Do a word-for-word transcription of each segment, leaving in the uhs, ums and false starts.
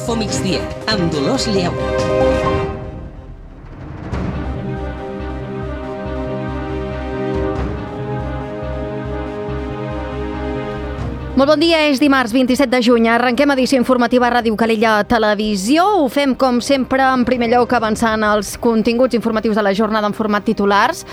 Info Migdia, amb Dolors Lleu. Molt bon dia, és dimarts vint-i-set de juny. Arrenquem edició informativa a Ràdio Calella Televisió. Ho fem, com sempre, en primer lloc avançant els continguts informatius de la jornada en format titulars.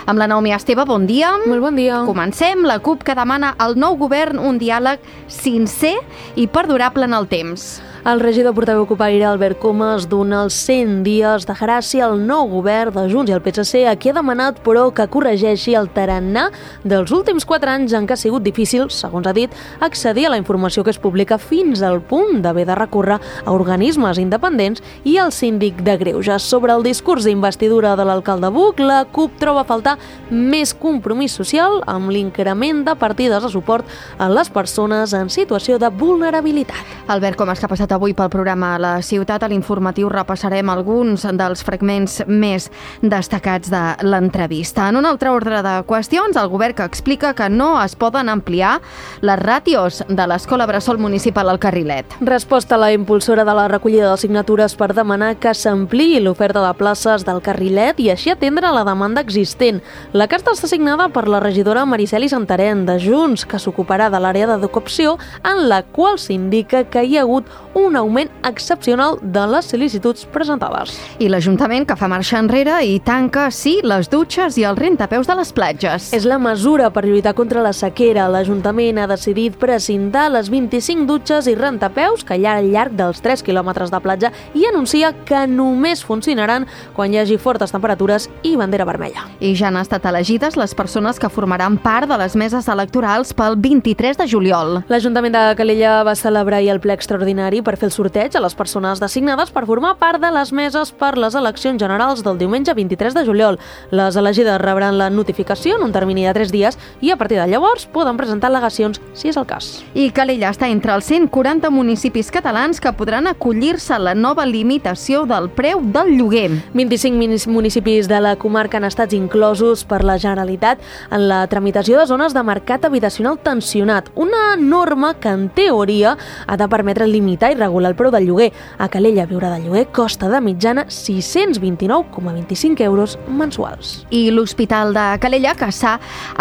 Amb la Naomi Esteve, bon dia. Molt bon dia. Comencem. La CUP que demana al nou govern un diàleg sincer i perdurable en el temps. El regidor portaveu copaire Albert Comas dona els cent dies de gràcia al nou govern de Junts i el P S C, a qui ha demanat, però, que corregeixi el tarannà dels últims quatre anys en què ha sigut difícil, segons ha dit, accedir a la informació que es publica fins al punt d'haver de recórrer a organismes independents i al síndic de Greuges. Sobre el discurs d'investidura de l'alcalde Buch, la CUP troba a faltar més compromís social amb l'increment de partides de suport a les persones en situació de vulnerabilitat. Albert Comas, que ha passat avui pel programa a la ciutat. A l'informatiu repassarem alguns dels fragments més destacats de l'entrevista. En un altre ordre de qüestions, el govern que explica que no es poden ampliar les ràtios de l'Escola Bressol Municipal al Carrilet. Resposta a la impulsora de la recollida de signatures per demanar que s'ampliï l'oferta de places del Carrilet i així atendre la demanda existent. La carta està signada per la regidora Mariceli Santarén de Junts, que s'ocuparà de l'àrea d'educació, en la qual s'indica que hi ha hagut un augment excepcional de les sol·licituds presentades. I l'Ajuntament que fa marxa enrere i tanca, sí, les dutxes i el rentapeus de les platges. És la mesura per lluitar contra la sequera. L'Ajuntament ha decidit precintar les vint-i-cinc dutxes i rentapeus que hi ha al llarg dels tres quilòmetres de platja i anuncia que només funcionaran quan hi hagi fortes temperatures i bandera vermella. I ja han estat elegides les persones que formaran part de les meses electorals pel vint-i-tres de juliol. L'Ajuntament de Calella va celebrar ahir el ple extraordinari per fer el sorteig a les persones designades per formar part de les meses per les eleccions generals del diumenge vint-i-tres de juliol. Les elegides rebran la notificació en un termini de tres dies i a partir de llavors poden presentar al·legacions si és el cas. I Calella està entre els cent quaranta municipis catalans que podran acollir-se a la nova limitació del preu del lloguer. vint-i-cinc municipis de la comarca han estat inclosos per la Generalitat en la tramitació de zones de mercat habitacional tensionat, una norma que en teoria ha de permetre limitar i regular el preu del lloguer. A Calella viure de lloguer costa de mitjana sis-cents vint-i-nou coma vint-i-cinc euros mensuals. I l'Hospital de Calella, que s'ha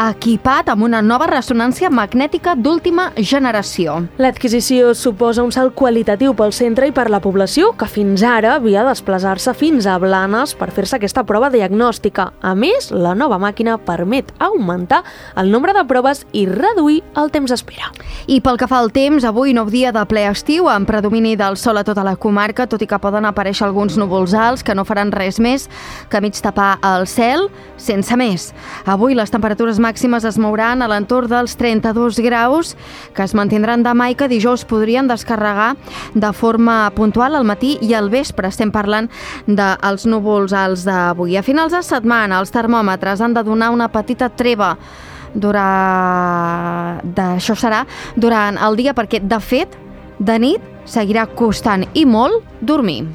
equipat amb una nova ressonància magnètica d'última generació. L'adquisició suposa un salt qualitatiu pel centre i per la població, que fins ara havia de desplaçar-se fins a Blanes per fer-se aquesta prova diagnòstica. A més, la nova màquina permet augmentar el nombre de proves i reduir el temps d'espera. I pel que fa al temps, avui nou dia de ple estiu, amb predomini del sol a tota la comarca, tot i que poden aparèixer alguns núvols alts que no faran res més que mig tapar el cel, sense més. Avui les temperatures màximes es mouran a l'entorn dels trenta-dos graus, que es mantindran demà i que dijous podrien descarregar de forma puntual al matí i al vespre. Estem parlant dels núvols alts d'avui. A finals de setmana els termòmetres han de donar una petita treva durant... d'això serà durant el dia, perquè de fet de nit seguirà costant i molt dormir.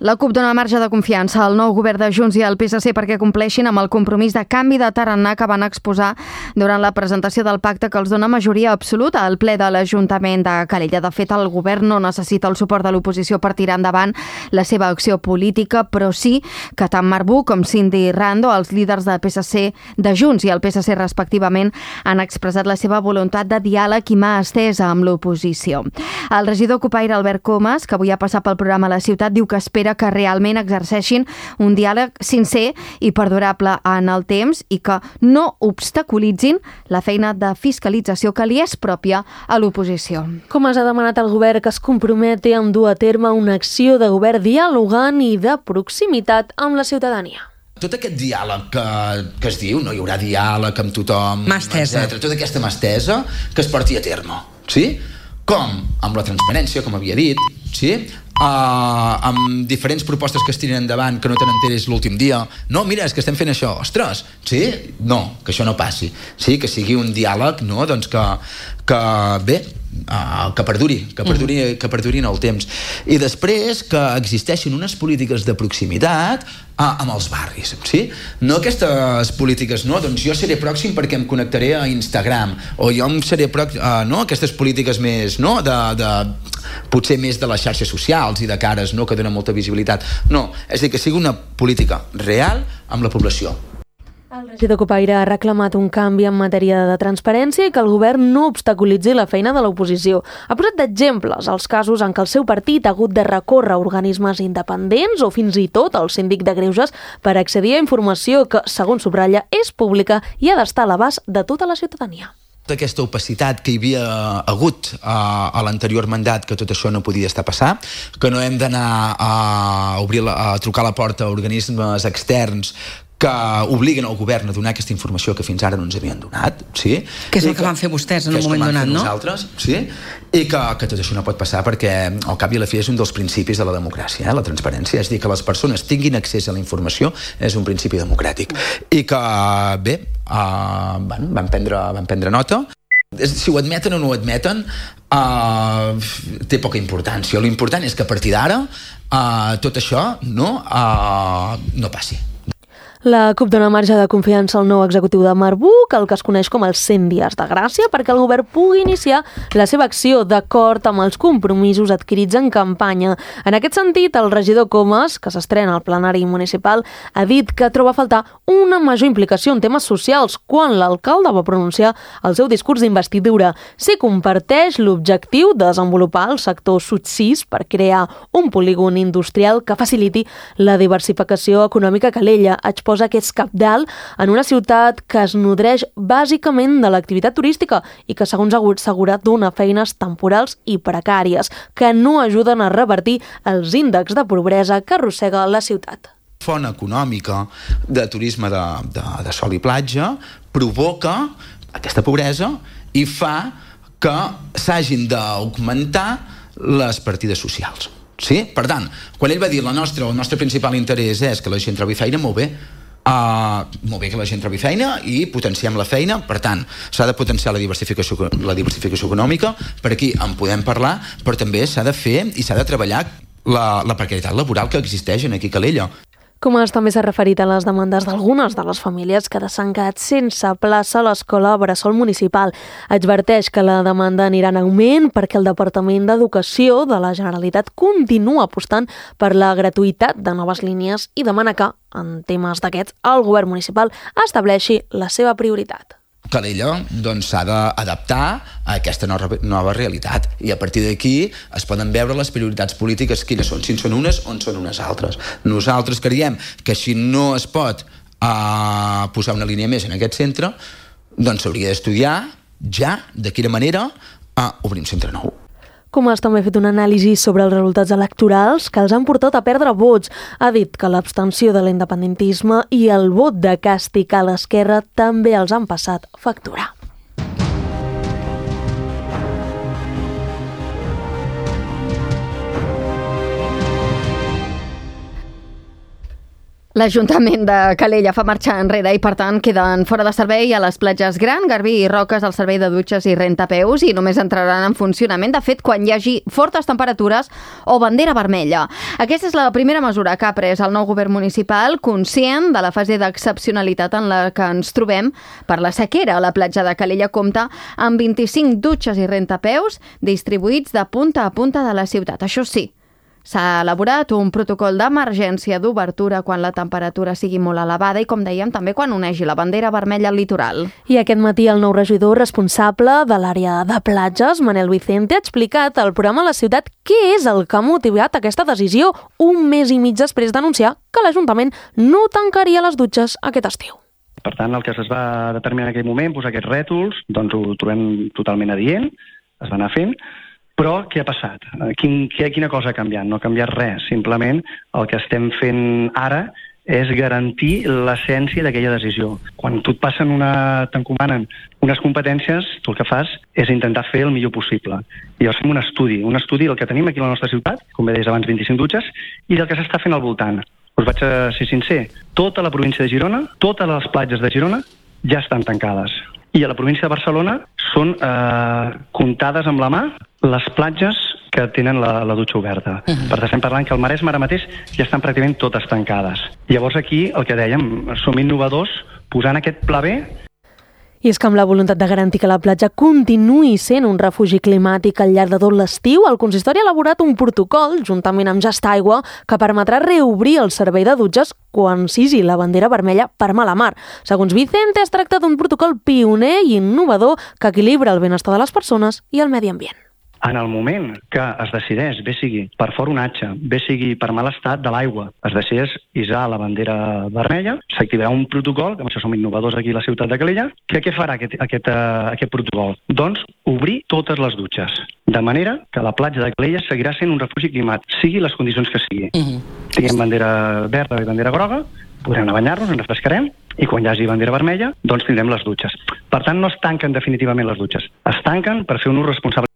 La CUP dona marge de confiança al nou govern de Junts i al P S C perquè compleixin amb el compromís de canvi de tarannà que van exposar durant la presentació del pacte que els dona majoria absoluta al ple de l'Ajuntament de Calella. De fet, el govern no necessita el suport de l'oposició per tirar endavant la seva acció política, però sí que tant Marc Buch com Cindy Rando, els líders de P S C de Junts i el P S C respectivament, han expressat la seva voluntat de diàleg i mà estesa amb l'oposició. El regidor copaire Albert Comas, que avui ha passat pel programa a la ciutat, diu que espera que realment exerceixin un diàleg sincer i perdurable en el temps i que no obstaculitzin la feina de fiscalització que li és pròpia a l'oposició. Comas ha demanat al govern que es comprometi a dur a terme una acció de govern dialogant i de proximitat amb la ciutadania. Tot aquest diàleg que, que es diu, no hi haurà diàleg amb tothom, mà estesa, etcètera, tota aquesta mà estesa que es porti a terme, sí? Com? Amb la transparència, com havia dit, sí? Uh, amb diferents propostes que es tiren endavant que no te n'enteres l'últim dia. No, mira, és que estem fent això. Ostres, sí? No, que això no passi. Sí, que sigui un diàleg, no? Doncs que, que bé, uh, que perduri, que perduri, mm. que perduri en el temps. I després que existeixin unes polítiques de proximitat uh, amb els barris, sí? No aquestes polítiques, no, doncs jo seré pròxim perquè em connectaré a Instagram, o jo em seré pròxim, uh, no, aquestes polítiques més, no, de, de, potser més de les xarxes socials i de cares, no, que donen molta visibilitat. No, és a dir, que sigui una política real amb la població. El regidor Copaire ha reclamat un canvi en matèria de transparència i que el govern no obstaculitzi la feina de l'oposició. Ha posat d'exemples els casos en què el seu partit ha hagut de recórrer a organismes independents o fins i tot al síndic de greuges per accedir a informació que, segons subratlla, és pública i ha d'estar a l'abast de tota la ciutadania. Aquesta opacitat que hi havia hagut a, a l'anterior mandat, que tot això no podia estar passant, que no hem d'anar a, obrir la, a trucar a la porta a organismes externs que obliguen el govern a donar aquesta informació que fins ara no ens havien donat, sí? Que és el que, que van fer vostès en un moment donat, no? Nosaltres, sí? I que, que tot això no pot passar perquè al cap i a la fi és un dels principis de la democràcia, eh? La transparència, és dir, que les persones tinguin accés a la informació és un principi democràtic. I que, bé, uh, bueno, van, prendre, van prendre nota. Si ho admeten o no ho admeten, uh, té poca importància. L'important és que a partir d'ara uh, tot això no, uh, no passi. La CUP dona marge de confiança al nou executiu de Marbuc, el que es coneix com els cent dies de gràcia, perquè el govern pugui iniciar la seva acció d'acord amb els compromisos adquirits en campanya. En aquest sentit, el regidor Comas, que s'estrena al plenari municipal, ha dit que troba a faltar una major implicació en temes socials quan l'alcalde va pronunciar el seu discurs d'investidura. Si comparteix l'objectiu de desenvolupar el sector Sud sis per crear un polígon industrial que faciliti la diversificació econòmica a Calella. Exposa que és cabdal en una ciutat que es nodreix bàsicament de l'activitat turística i que, segons ha assegurat, dona feines temporals i precàries que no ajuden a revertir els índexs de pobresa que arrossega la ciutat. Font econòmica de turisme de, de, de sol i platja provoca aquesta pobresa i fa que s'hagin d'augmentar les partides socials. Sí? Per tant, quan ell va dir la nostra, el nostre principal interès és que la gent trobi feina, molt bé, Uh, molt bé que la gent trobi feina i potenciem la feina, per tant s'ha de potenciar la diversificació, la diversificació econòmica, per aquí en podem parlar, però també s'ha de fer i s'ha de treballar la, la precarietat laboral que existeix aquí a Calella. Comas també s'ha referit a les demandes d'algunes de les famílies que s'han quedat sense plaça a l'escola Bressol Municipal. Adverteix que la demanda anirà en augment perquè el Departament d'Educació de la Generalitat continua apostant per la gratuïtat de noves línies i demana que, en temes d'aquests, el govern municipal estableixi la seva prioritat. Calella doncs, s'ha d'adaptar a aquesta nova, nova realitat i a partir d'aquí es poden veure les prioritats polítiques quines són, si en són unes o en són unes altres. Nosaltres creiem que si no es pot uh, posar una línia més en aquest centre, doncs s'hauria d'estudiar ja de quina manera uh, obrir un centre nou. Comas també ha fet un anàlisi sobre els resultats electorals que els han portat a perdre vots. Ha dit que l'abstenció de l'independentisme i el vot de càstig a l'esquerra també els han passat factura. L'Ajuntament de Calella fa marxa enrere i, per tant, queden fora de servei a les platges Gran, Garbí i Roques el servei de dutxes i rentapeus i només entraran en funcionament, de fet, quan hi hagi fortes temperatures o bandera vermella. Aquesta és la primera mesura que ha pres el nou govern municipal, conscient de la fase d'excepcionalitat en la que ens trobem per la sequera. La platja de Calella compta amb vint-i-cinc dutxes i rentapeus distribuïts de punta a punta de la ciutat. Això sí, s'ha elaborat un protocol d'emergència d'obertura quan la temperatura sigui molt elevada i, com dèiem, també quan onegi la bandera vermella al litoral. I aquest matí el nou regidor responsable de l'àrea de platges, Manel Vicente, ha explicat al programa La Ciutat què és el que ha motivat aquesta decisió un mes i mig després d'anunciar que l'Ajuntament no tancaria les dutxes aquest estiu. Per tant, el que es va determinar en aquell moment, posar aquests rètols, doncs ho trobem totalment adient, es va anar fent. Però què ha passat? Quin, quina cosa ha canviat? No ha canviat res. Simplement el que estem fent ara és garantir l'essència d'aquella decisió. Quan tu et passen una, t'encomanen unes competències, tu el que fas és intentar fer el millor possible. I llavors fem un estudi, un estudi del que tenim aquí a la nostra ciutat, com bé deies abans, vint-i-cinc dutxes, i del que s'està fent al voltant. Us vaig a ser sincer, tota la província de Girona, totes les platges de Girona ja estan tancades. I a la província de Barcelona són eh, comptades amb la mà les platges que tenen la, la dutxa oberta. Uh-huh. Per tant, estem parlant que al Maresme ara mateix ja estan pràcticament totes tancades. Llavors aquí, el que dèiem, som innovadors posant aquest pla B. I és que amb la voluntat de garantir que la platja continuï sent un refugi climàtic al llarg de tot l'estiu, el consistori ha elaborat un protocol, juntament amb Just Aigua, que permetrà reobrir el servei de dutxes quan s'hisi la bandera vermella per mala mar. Segons Vicente, es tracta d'un protocol pioner i innovador que equilibra el benestar de les persones i el medi ambient. En el moment que es decideix, bé sigui per foronatge, bé sigui per mal estat de l'aigua, es decideix isar la bandera vermella, s'activarà un protocol, que amb això som innovadors aquí a la ciutat de Calella, que què farà aquest, aquest, uh, aquest protocol? Doncs obrir totes les dutxes, de manera que la platja de Calella seguirà sent un refugi climàtic, sigui les condicions que sigui. Uh-huh. Tinguem bandera verda i bandera groga, podrem anar a banyar-nos, ens refrescarem, i quan hi hagi bandera vermella, doncs tindrem les dutxes. Per tant, no es tanquen definitivament les dutxes, es tanquen per fer un ús responsable.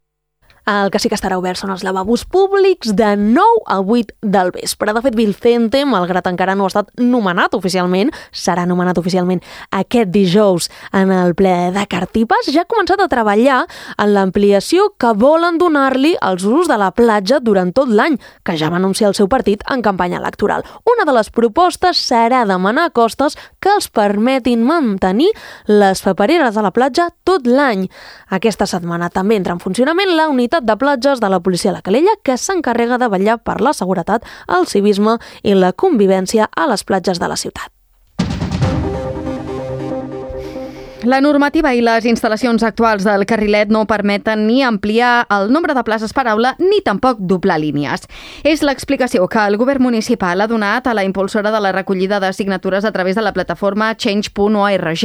El que sí que estarà obert són els lavabos públics de nou a vuit del vespre. De fet, Vicente, malgrat encara no ha estat nomenat oficialment, serà nomenat oficialment aquest dijous en el ple de Cartipes, ja ha començat a treballar en l'ampliació que volen donar-li als usos de la platja durant tot l'any, que ja va anunciar el seu partit en campanya electoral. Una de les propostes serà demanar a Costes que els permetin mantenir les papereres a la platja tot l'any. Aquesta setmana també entra en funcionament la unitat de platges de la policia de Calella, que s'encarrega de vetllar per la seguretat, el civisme i la convivència a les platges de la ciutat. La normativa i les instal·lacions actuals del carrilet no permeten ni ampliar el nombre de places per aula ni tampoc doblar línies. És l'explicació que el govern municipal ha donat a la impulsora de la recollida de signatures a través de la plataforma change punt org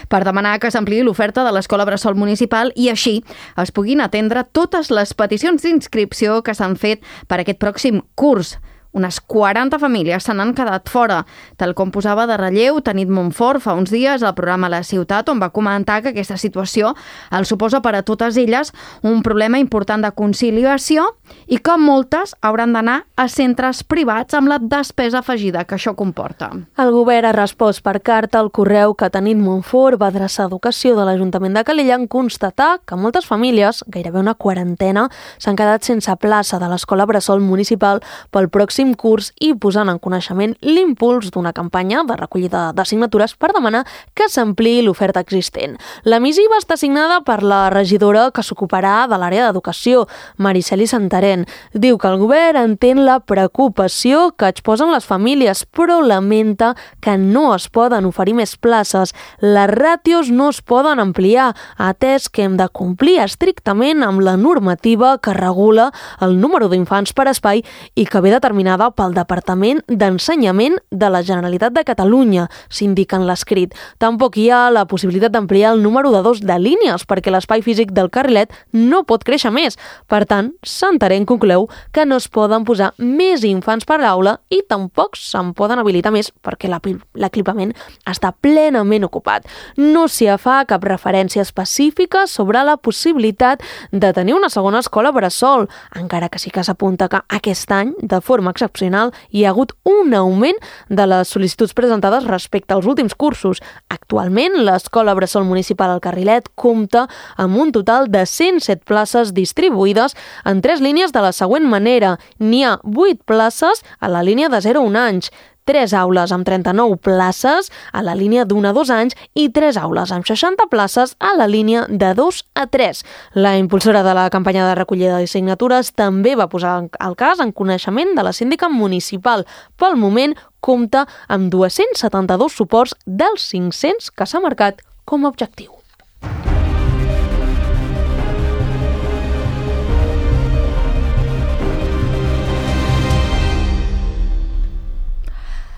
per demanar que s'ampliï l'oferta de l'escola bressol municipal i així es puguin atendre totes les peticions d'inscripció que s'han fet per aquest pròxim curs. Unes quaranta famílies se n'han quedat fora, tal com posava de relleu Tanit Montfort fa uns dies al programa La Ciutat, on va comentar que aquesta situació el suposa per a totes elles un problema important de conciliació i que moltes hauran d'anar a centres privats amb la despesa afegida que això comporta. El govern ha respost per carta al correu que Tanit Montfort va adreçar a Educació de l'Ajuntament de Calella en constatar que moltes famílies, gairebé una quarantena, s'han quedat sense plaça de l'escola bressol municipal pel pròxim curs i posant en coneixement l'impuls d'una campanya de recollida de signatures per demanar que s'ampliï l'oferta existent. La missiva està signada per la regidora que s'ocuparà de l'àrea d'educació, Mariceli Santarén. Diu que el govern entén la preocupació que exposen les famílies, però lamenta que no es poden oferir més places. Les ràtios no es poden ampliar, atès que hem de complir estrictament amb la normativa que regula el número d'infants per espai i que ve determinada pel Departament d'Ensenyament de la Generalitat de Catalunya, s'indica en l'escrit. Tampoc hi ha la possibilitat d'ampliar el número de dos de línies, perquè l'espai físic del carrilet no pot créixer més. Per tant, Santarén concleu que no es poden posar més infants per aula i tampoc se'n poden habilitar més perquè l'equipament està plenament ocupat. No s'hi fa cap referència específica sobre la possibilitat de tenir una segona escola bressol, encara que sí que s'apunta que aquest any, de forma excepcional, hi ha hagut un augment de les sol·licituds presentades respecte als últims cursos. Actualment, l'escola bressol municipal al Carrilet compta amb un total de cent set places distribuïdes en tres línies de la següent manera. N'hi ha vuit places a la línia de zero a un anys, tres aules amb trenta-nou places a la línia d'un a dos anys i tres aules amb seixanta places a la línia de dos a tres. La impulsora de la campanya de recollida de signatures també va posar el cas en coneixement de la síndica municipal. Pel moment, compta amb dos-cents setanta-dos suports dels cinc-cents que s'ha marcat com a objectiu.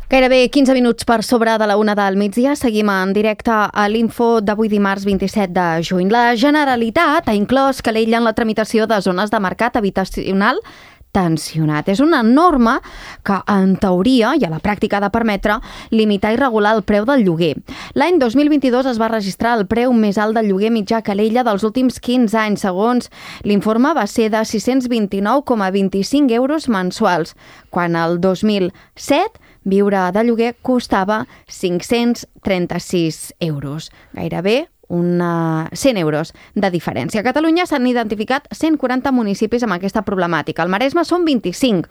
Gairebé quinze minuts per sobre de la una del migdia. Seguim en directe a l'Info d'avui dimarts vint-i-set de juny. La Generalitat ha inclòs Calella en la tramitació de zones de mercat habitacional tensionat. És una norma que, en teoria i a la pràctica, ha de permetre limitar i regular el preu del lloguer. L'any dos mil vint-i-dos es va registrar el preu més alt del lloguer mitjà a Calella dels últims quinze anys. Segons l'informe, va ser de sis-cents vint-i-nou coma vint-i-cinc euros mensuals, quan el dos mil set viure de lloguer costava cinc-cents trenta-sis euros, gairebé una cent euros de diferència. A Catalunya s'han identificat cent quaranta municipis amb aquesta problemàtica. Al Maresme són vint-i-cinc,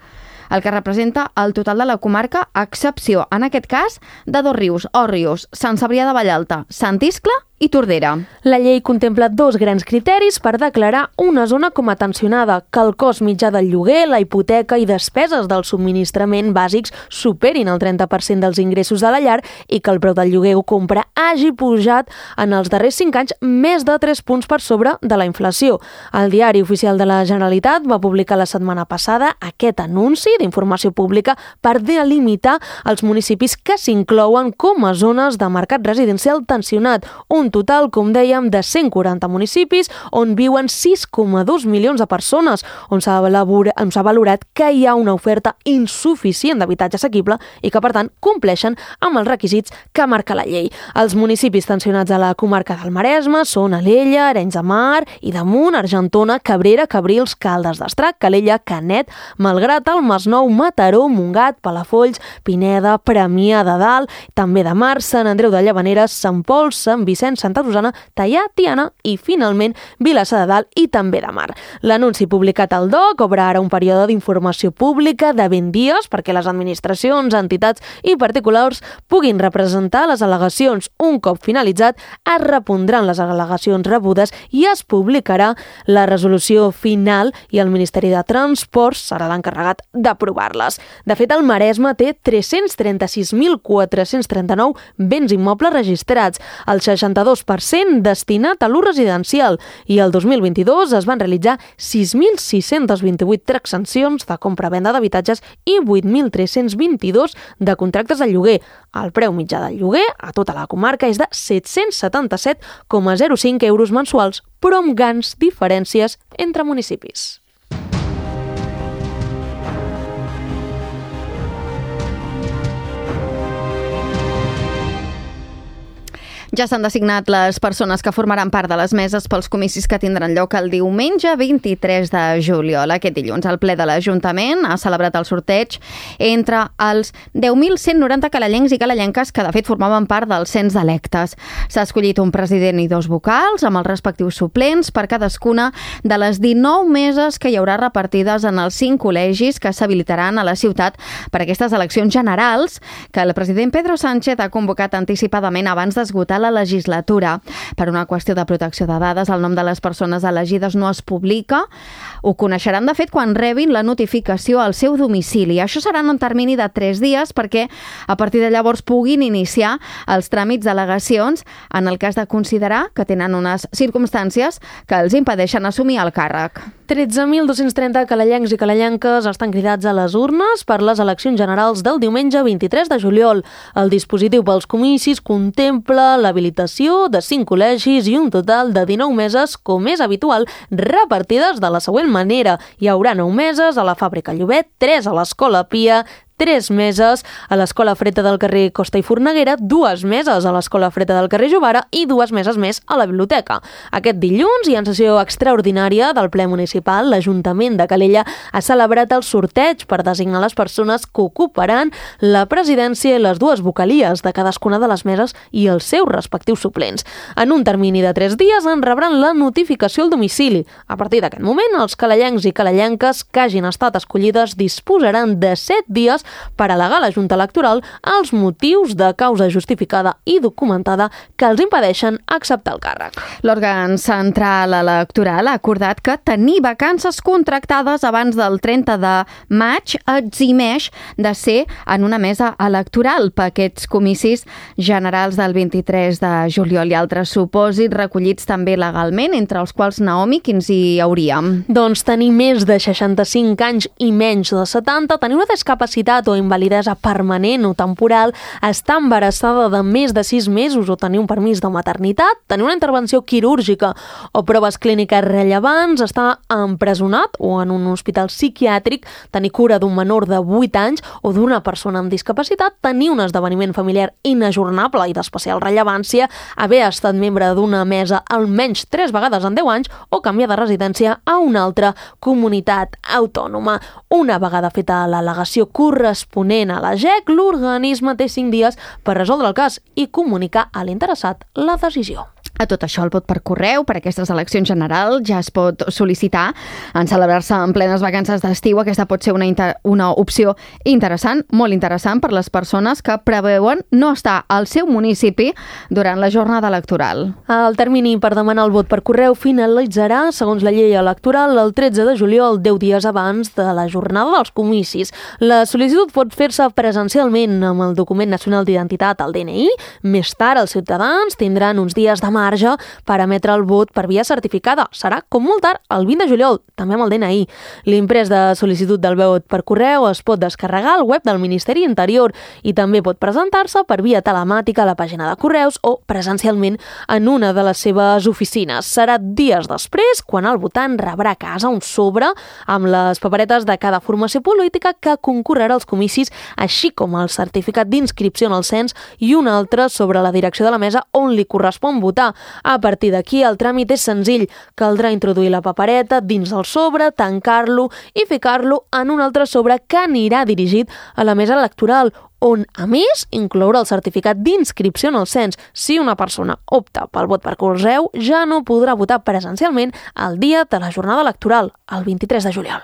el que representa el total de la comarca, a excepció, en aquest cas, de Dosrius, Òrrius, Sant Cebrià de Vallalta, Sant Iscle i Tordera. La llei contempla dos grans criteris per declarar una zona com a tensionada, que el cost mitjà del lloguer, la hipoteca i despeses del subministrament bàsics superin el trenta per cent dels ingressos de la llar i que el preu del lloguer o compra hagi pujat en els darrers cinc anys més de tres punts per sobre de la inflació. El Diari Oficial de la Generalitat va publicar la setmana passada aquest anunci d'informació pública per delimitar els municipis que s'inclouen com a zones de mercat residencial tensionat, un total, com dèiem, de cent quaranta municipis on viuen sis coma dos milions de persones, on s'ha valorat que hi ha una oferta insuficient d'habitatge assequible i que, per tant, compleixen amb els requisits que marca la llei. Els municipis tensionats a la comarca del Maresme són Alella, Arenys de Mar i Damunt, Argentona, Cabrera, Cabrils, Caldes d'Estrac, Calella, Canet, Malgrat, el Masnou, Mataró, Montgat, Palafolls, Pineda, Premià de Dalt, també de Mar, Sant Andreu de Llavaneres, Sant Pol, Sant Vicenç, Santa Rosana, Teià, Tiana i, finalment, Vilassar de Dalt i també de Mar. L'anunci publicat al D O C obre ara un període d'informació pública de vint dies perquè les administracions, entitats i particulars puguin representar les al·legacions. Un cop finalitzat, es repondran les al·legacions rebudes i es publicarà la resolució final i el Ministeri de Transports serà l'encarregat d'aprovar-les. De fet, el Maresme té tres-cents trenta-sis mil quatre-cents trenta-nou béns immobles registrats, el seixanta-dos per cent destinat a l'ús residencial, i el dos mil vint-i-dos es van realitzar sis mil sis-cents vint-i-vuit transaccions de compra-venda d'habitatges i vuit mil tres-cents vint-i-dos de contractes de lloguer. El preu mitjà del lloguer a tota la comarca és de set-cents setanta-set coma zero cinc euros mensuals, però amb grans diferències entre municipis. Ja s'han designat les persones que formaran part de les meses pels comicis que tindran lloc el diumenge vint-i-tres de juliol. Aquest dilluns, el ple de l'Ajuntament ha celebrat el sorteig entre els deu mil cent noranta calellencs i calellenques que, de fet, formaven part del cens d'electes. S'ha escollit un president i dos vocals amb els respectius suplents per cadascuna de les dinou meses que hi haurà repartides en els cinc col·legis que s'habilitaran a la ciutat per aquestes eleccions generals que el president Pedro Sánchez ha convocat anticipadament abans d'esgotar la legislatura. Per una qüestió de protecció de dades, el nom de les persones elegides no es publica. Ho coneixeran, de fet, quan rebin la notificació al seu domicili. Això serà en un termini de tres dies perquè a partir de llavors puguin iniciar els tràmits d'al·legacions en el cas de considerar que tenen unes circumstàncies que els impedeixen assumir el càrrec. tretze mil dos-cents trenta calellencs i calellenques estan cridats a les urnes per les eleccions generals del diumenge vint-i-tres de juliol. El dispositiu pels comicis contempla l'habilitació de cinc col·legis i un total de dinou meses, com és habitual, repartides de la següent manera. Hi haurà nou meses a la Fàbrica Llobet, tres a l'Escola Pia, tres meses a l'Escola Freta del carrer Costa i Forneguera, dues meses a l'Escola Freta del carrer Jovara i dues meses més a la biblioteca. Aquest dilluns i en sessió extraordinària del ple municipal, l'Ajuntament de Calella ha celebrat el sorteig per designar les persones que ocuparan la presidència i les dues vocalies de cadascuna de les meses i els seus respectius suplents. En un termini de tres dies en rebran la notificació al domicili. A partir d'aquest moment, els calellencs i calellenques que hagin estat escollides disposaran de set dies per al·legar a la Junta Electoral els motius de causa justificada i documentada que els impedeixen acceptar el càrrec. L'òrgan central electoral ha acordat que tenir vacances contractades abans del trenta de maig eximeix de ser en una mesa electoral per aquests comicis generals del vint-i-tres de juliol i altres supòsits recollits també legalment, entre els quals, Naomi, quins hi hauríem? Doncs tenir més de seixanta-cinc anys i menys de setanta, tenir una discapacitat o invalidesa permanent o temporal, estar embarassada de més de sis mesos o tenir un permís de maternitat, tenir una intervenció quirúrgica o proves clíniques rellevants, estar empresonat o en un hospital psiquiàtric, tenir cura d'un menor de vuit anys o d'una persona amb discapacitat, tenir un esdeveniment familiar inajornable i d'especial rellevància, haver estat membre d'una mesa almenys tres vegades en deu anys o canviar de residència a una altra comunitat autònoma. Una vegada feta l'al·legació corresponent corresponent a la G E C, l'organisme té cinc dies per resoldre el cas i comunicar a l'interessat la decisió. A tot això, el vot per correu per aquestes eleccions generals ja es pot sol·licitar en celebrar-se en plenes vacances d'estiu. Aquesta pot ser una, inter... una opció interessant, molt interessant per les persones que preveuen no estar al seu municipi durant la jornada electoral. El termini per demanar el vot per correu finalitzarà, segons la llei electoral, el tretze de juliol, deu dies abans de la jornada dels comicis. La sol·licitud pot fer-se presencialment amb el document nacional d'identitat, el D N I. Més tard, els ciutadans tindran uns dies de marge per emetre el vot per via certificada. Serà, com molt tard, el vint de juliol, també amb el D N I. L'imprès de sol·licitud del vot per correu es pot descarregar al web del Ministeri Interior i també pot presentar-se per via telemàtica a la pàgina de correus o presencialment en una de les seves oficines. Serà dies després quan el votant rebrà a casa un sobre amb les paperetes de cada formació política que concorrerà als comicis, així com el certificat d'inscripció en el cens i un altre sobre la direcció de la mesa on li correspon votar. A partir d'aquí, el tràmit és senzill. Caldrà introduir la papereta dins del sobre, tancar-lo i ficar-lo en un altre sobre que anirà dirigit a la mesa electoral, on, a més, incloure el certificat d'inscripció en el cens. Si una persona opta pel vot per correu, ja no podrà votar presencialment el dia de la jornada electoral, el vint-i-tres de juliol.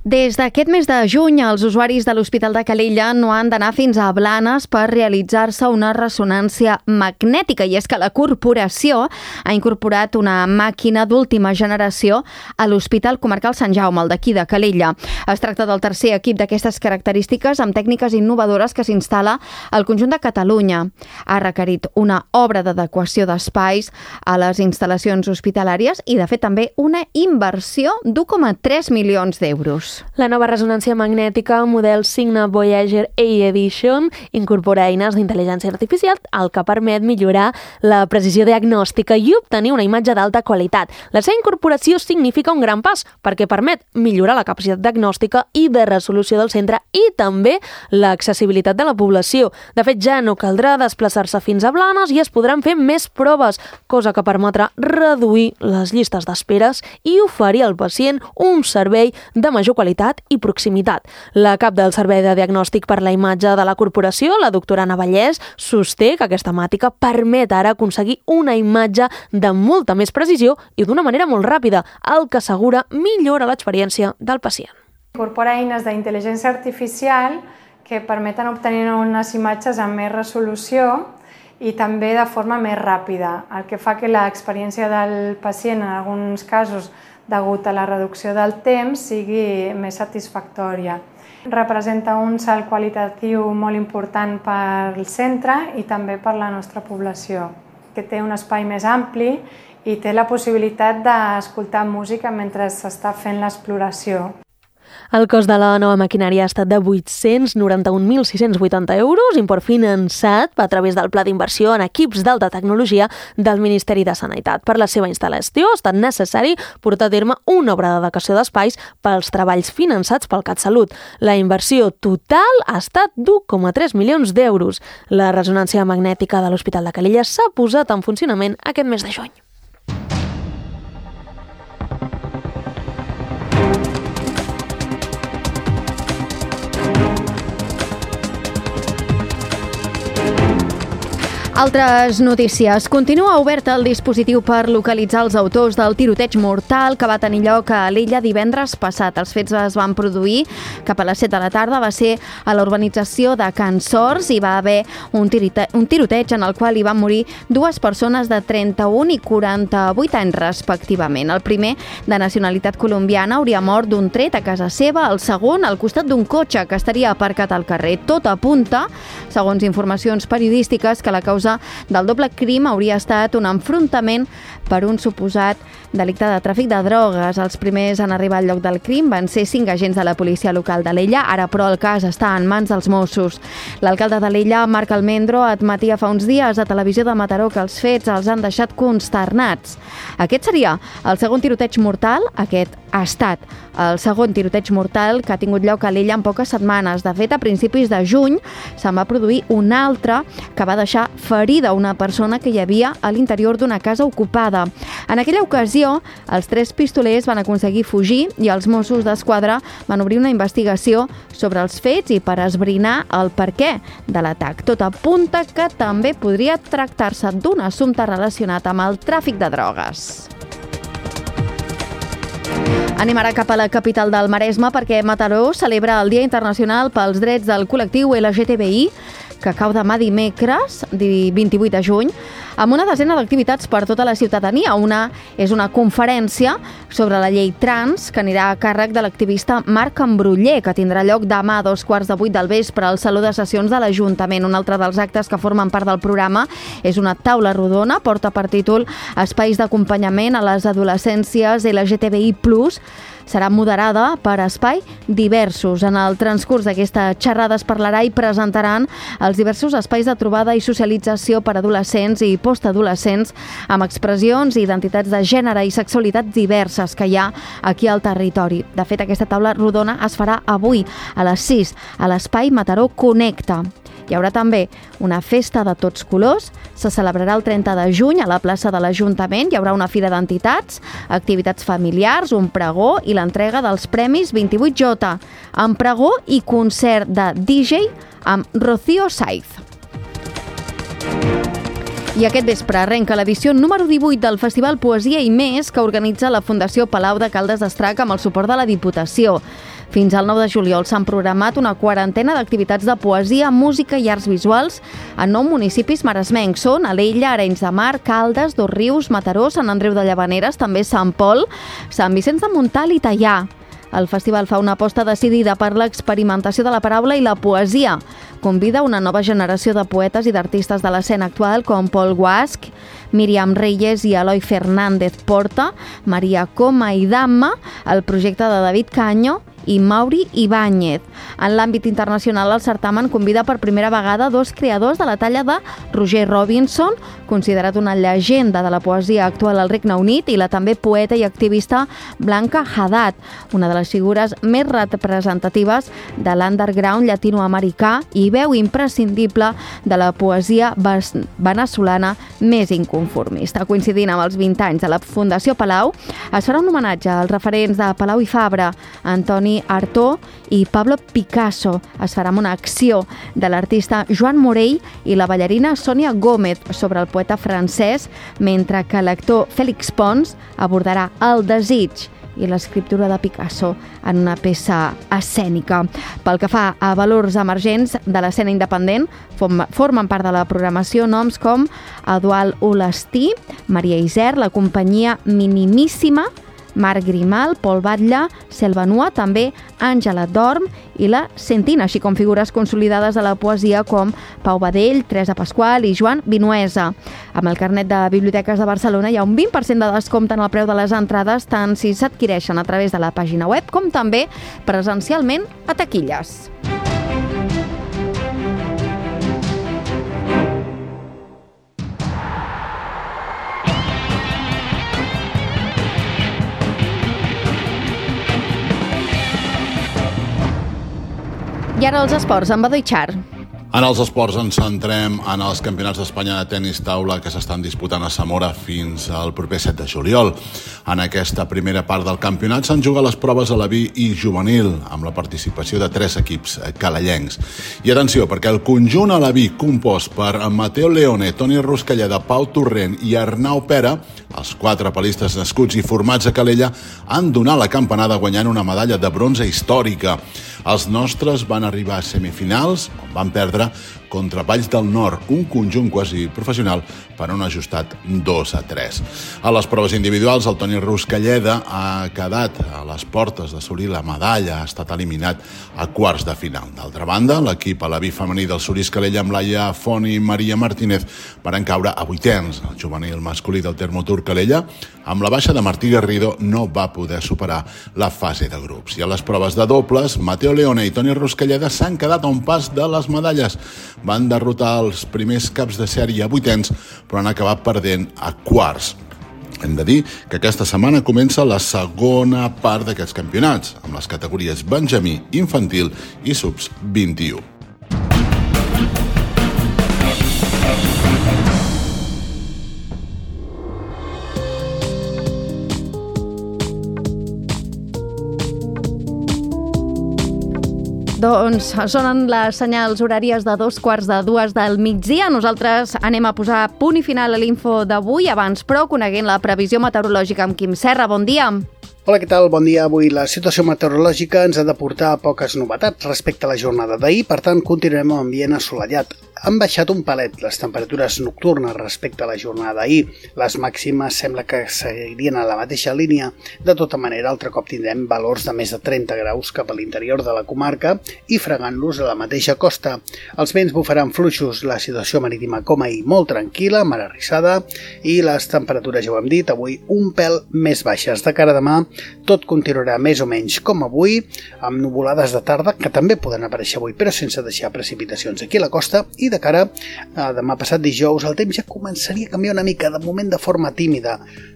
Des d'aquest mes de juny, els usuaris de l'Hospital de Calella no han d'anar fins a Blanes per realitzar-se una ressonància magnètica, i és que la corporació ha incorporat una màquina d'última generació a l'Hospital Comarcal Sant Jaume, el d'aquí de Calella. Es tracta del tercer equip d'aquestes característiques amb tècniques innovadores que s'instal·la al conjunt de Catalunya. Ha requerit una obra d'adequació d'espais a les instal·lacions hospitalàries i, de fet, també una inversió d'u coma tres milions d'euros. La nova ressonància magnètica model Signa Voyager A Edition incorpora eines d'intel·ligència artificial, el que permet millorar la precisió diagnòstica i obtenir una imatge d'alta qualitat. La seva incorporació significa un gran pas perquè permet millorar la capacitat diagnòstica i de resolució del centre i també l'accessibilitat de la població. De fet, ja no caldrà desplaçar-se fins a Blanes i es podran fer més proves, cosa que permetrà reduir les llistes d'esperes i oferir al pacient un servei de major qualitat i proximitat. La cap del Servei de Diagnòstic per la Imatge de la Corporació, la doctora Anna Vallès, sosté que aquesta màtica permet ara aconseguir una imatge de molta més precisió i d'una manera molt ràpida, el que assegura millora l'experiència del pacient. Incorpora eines d'intel·ligència artificial que permeten obtenir unes imatges amb més resolució i també de forma més ràpida, el que fa que l'experiència del pacient en alguns casos degut a la reducció del temps, sigui més satisfactòria. Representa un salt qualitatiu molt important per al centre i també per la nostra població, que té un espai més ampli i té la possibilitat d'escoltar música mentre s'està fent l'exploració. El cost de la nova maquinària ha estat de vuit-cents noranta-un mil sis-cents vuitanta euros, import finançat a través del Pla d'Inversió en Equips d'Alta Tecnologia del Ministeri de Sanitat. Per la seva instal·lació ha estat necessari portar a terme una obra d'adequació d'espais pels treballs finançats pel CatSalut. La inversió total ha estat d'u coma tres milions d'euros. La ressonància magnètica de l'Hospital de Calella s'ha posat en funcionament aquest mes de juny. Altres notícies. Continua obert el dispositiu per localitzar els autors del tiroteig mortal que va tenir lloc a l'Illa divendres passat. Els fets es van produir cap a les set de la tarda. Va ser a la urbanització de Can Sors i va haver un, tirite un tiroteig en el qual hi van morir dues persones de trenta-un i quaranta-vuit anys respectivament. El primer, de nacionalitat colombiana, hauria mort d'un tret a casa seva. El segon, al costat d'un cotxe que estaria aparcat al carrer. Tot apunta, segons informacions periodístiques, que la causa del doble crim hauria estat un enfrontament per un suposat delicte de tràfic de drogues. Els primers en arribar al lloc del crim van ser cinc agents de la policia local d'Alella, ara però el cas està en mans dels Mossos. L'alcalde d'Alella, Marc Almendro, admetia fa uns dies a Televisió de Mataró que els fets els han deixat consternats. Aquest seria el segon tiroteig mortal, aquest ha estat el segon tiroteig mortal que ha tingut lloc a l'Illa en poques setmanes. De fet, a principis de juny se'n va produir un altre que va deixar ferida una persona que hi havia a l'interior d'una casa ocupada. En aquella ocasió, els tres pistolers van aconseguir fugir i els Mossos d'Esquadra van obrir una investigació sobre els fets i per esbrinar el perquè de l'atac. Tot apunta que també podria tractar-se d'un assumpte relacionat amb el tràfic de drogues. Anem ara cap a la capital del Maresme perquè Mataró celebra el Dia Internacional pels Drets del Col·lectiu L G T B I, que cau demà dimecres, vint-i-vuit de juny, amb una desena d'activitats per tota la ciutadania. Una és una conferència sobre la llei trans que anirà a càrrec de l'activista Marc Ambruller, que tindrà lloc demà a dos quarts de vuit del vespre al Saló de Sessions de l'Ajuntament. Un altre dels actes que formen part del programa és una taula rodona, porta per títol Espais d'acompanyament a les adolescències L G T B I plus, serà moderada per Espai Diversos. En el transcurs d'aquesta xerrada es parlarà i presentaran els diversos espais de trobada i socialització per adolescents i postadolescents amb expressions i identitats de gènere i sexualitats diverses que hi ha aquí al territori. De fet, aquesta taula rodona es farà avui a les sis a l'Espai Mataró Connecta. Hi haurà també una festa de tots colors, se celebrarà el trenta de juny a la plaça de l'Ajuntament, hi haurà una fira d'entitats, activitats familiars, un pregó i l'entrega dels Premis vint-i-vuit J, amb pregó i concert de D J amb Rocío Saiz. I aquest vespre arrenca l'edició número divuit del Festival Poesia i Més que organitza la Fundació Palau de Caldes d'Estrac amb el suport de la Diputació. Fins al nou de juliol s'han programat una quarantena d'activitats de poesia, música i arts visuals en nou municipis maresmencs. Són Alella, Arenys de Mar, Caldes, Dosrius, Mataró, Sant Andreu de Llavaneres, també Sant Pol, Sant Vicenç de Montalt i Teià. El festival fa una aposta decidida per l'experimentació de la paraula i la poesia. Convida una nova generació de poetes i d'artistes de l'escena actual com Pol Guasch, Míriam Reyes i Eloi Fernández Porta, Maria Coma i Damma, el projecte de David Caño i Mauri Ibáñez. En l'àmbit internacional, el certamen convida per primera vegada dos creadors de la talla de Roger Robinson, considerat una llegenda de la poesia actual al Regne Unit, i la també poeta i activista Blanca Haddad, una de les figures més representatives de l'underground llatinoamericà i veu imprescindible de la poesia venezolana més inconformista. Coincidint amb els vint anys de la Fundació Palau, es farà un homenatge als referents de Palau i Fabra, Antoni Artó i Pablo Picasso. Es farà una acció de l'artista Joan Morell i la ballarina Sònia Gómez sobre el poeta francès, mentre que l'actor Félix Pons abordarà el desig i l'escriptura de Picasso en una peça escènica. Pel que fa a valors emergents de l'escena independent, formen part de la programació noms com Eduard Olastí, Maria Iser, la companyia Minimíssima, Marc Grimal, Pol Batlle, Selva Nua, també Àngela Dorm i la Sentina, així com figures consolidades de la poesia com Pau Badell, Teresa Pasqual i Joan Vinuesa. Amb el carnet de Biblioteques de Barcelona hi ha un vint per cent de descompte en el preu de les entrades, tant si s'adquireixen a través de la pàgina web com també presencialment a taquilles. I ara els esports, amb Badoi Char. En els esports ens centrem en els campionats d'Espanya de tenis taula que s'estan disputant a Zamora fins al proper set de juliol. En aquesta primera part del campionat s'han jugat les proves aleví i juvenil, amb la participació de tres equips calellencs. I atenció, perquè el conjunt aleví compost per Mateo Leone, Toni Ruscalleda, Pau Torrent i Arnau Pera, els quatre palistes nascuts i formats a Calella, han donat la campanada guanyant una medalla de bronze històrica. Els nostres van arribar a semifinals, on van perdre contra Valls del Nord, un conjunt quasi professional, per un ajustat dos a tres. A les proves individuals, el Toni Ruscalleda ha quedat a les portes d'assolir la medalla, ha estat eliminat a quarts de final. D'altra banda, l'equip a la B femení del Solís Calella amb Laia Font i Maria Martínez van caure a vuitens. El juvenil masculí del Termotur Calella, amb la baixa de Martí Garrido, no va poder superar la fase de grups. I a les proves de dobles, Mateo Leone i Toni Ruscalleda s'han quedat a un pas de les medalles. Van derrotar els primers caps de sèrie a vuitens, però han acabat perdent a quarts. Hem de dir que aquesta setmana comença la segona part d'aquests campionats, amb les categories benjamí, infantil i subs vint-i-u. Doncs sonen les senyals horàries de dos quarts de dues del migdia. Nosaltres anem a posar punt i final a l'info d'avui, abans però coneguent la previsió meteorològica amb Quim Serra. Bon dia. Hola, què tal? Bon dia. Avui la situació meteorològica ens ha de portar a poques novetats respecte a la jornada d'ahir, per tant continuarem amb ambient assolellat. Han baixat un palet les temperatures nocturnes respecte a la jornada d'ahir. Les màximes sembla que seguirien a la mateixa línia. De tota manera, altre cop tindrem valors de més de trenta graus cap a l'interior de la comarca i fregant-los a la mateixa costa. Els vents bufaran fluixos, la situació marítima com ahir molt tranquil·la, mar arrissada, i les temperatures, ja ho hem dit, avui un pèl més baixes. De cara a demà, tot continuarà més o menys com avui, amb nuvolades de tarda, que també poden aparèixer avui, però sense deixar precipitacions aquí a la costa, i de cara a demà passat dijous el temps ja començaria a canviar una mica, de moment de forma tímida.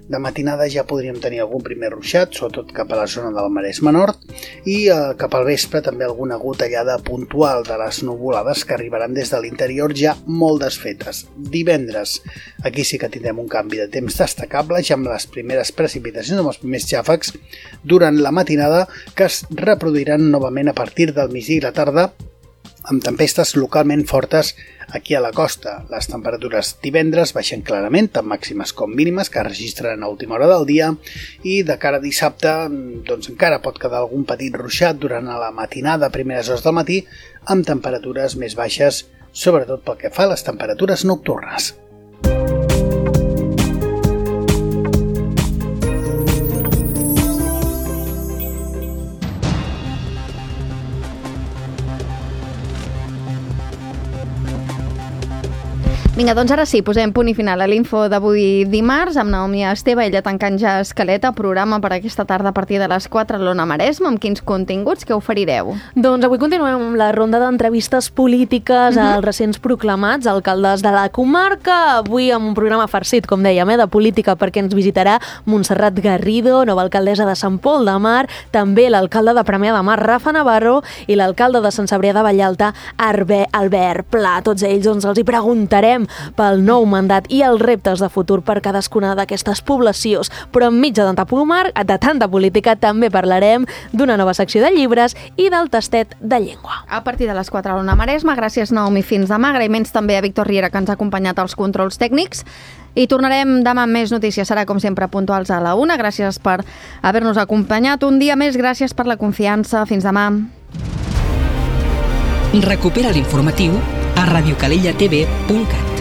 De matinada ja podríem tenir algun primer ruixat, sobretot cap a la zona del Maresme Nord, i eh, cap al vespre també alguna gotellada puntual de les nuvolades que arribaran des de l'interior ja molt desfetes. Divendres, aquí sí que tindrem un canvi de temps destacable, ja amb les primeres precipitacions, amb els primers xàfecs durant la matinada, que es reproduiran novament a partir del migdia i la tarda, amb tempestes localment fortes aquí a la costa. Les temperatures divendres baixen clarament, tant màximes com mínimes, que es registren a última hora del dia, i de cara a dissabte doncs encara pot quedar algun petit ruixat durant la matinada, primeres hores del matí, amb temperatures més baixes, sobretot pel que fa a les temperatures nocturnes. Vinga, doncs ara sí, posem punt i final a l'info d'avui dimarts amb Naomi Esteve, ella tancant ja Escaleta, programa per aquesta tarda a partir de les quatre a l'Ona Maresme. Amb quins continguts que oferireu? Doncs avui continuem amb la ronda d'entrevistes polítiques uh-huh. als recents proclamats alcaldes de la comarca. Avui amb un programa farcit, com dèiem, eh, de política, perquè ens visitarà Montserrat Garrido, nova alcaldessa de Sant Pol de Mar, també l'alcalde de Premià de Mar, Rafa Navarro, i l'alcalde de Sant Cebrià de Vallalta, Albert Pla. Tots ells doncs, els hi preguntarem pel nou mandat i els reptes de futur per cadascuna d'aquestes poblacions. Però enmig de tanta pomar, de tanta política, també parlarem d'una nova secció de llibres i del tastet de llengua. A partir de les quatre a l'Ona Maresme. Gràcies, Naomi, fins demà. Agraïments també a Víctor Riera, que ens ha acompanyat als controls tècnics. I tornarem demà amb més notícies. Serà, com sempre, puntuals a la una. Gràcies per haver-nos acompanyat un dia més. Gràcies per la confiança. Fins demà. Recupera l'informatiu a radiocalellatv punt cat.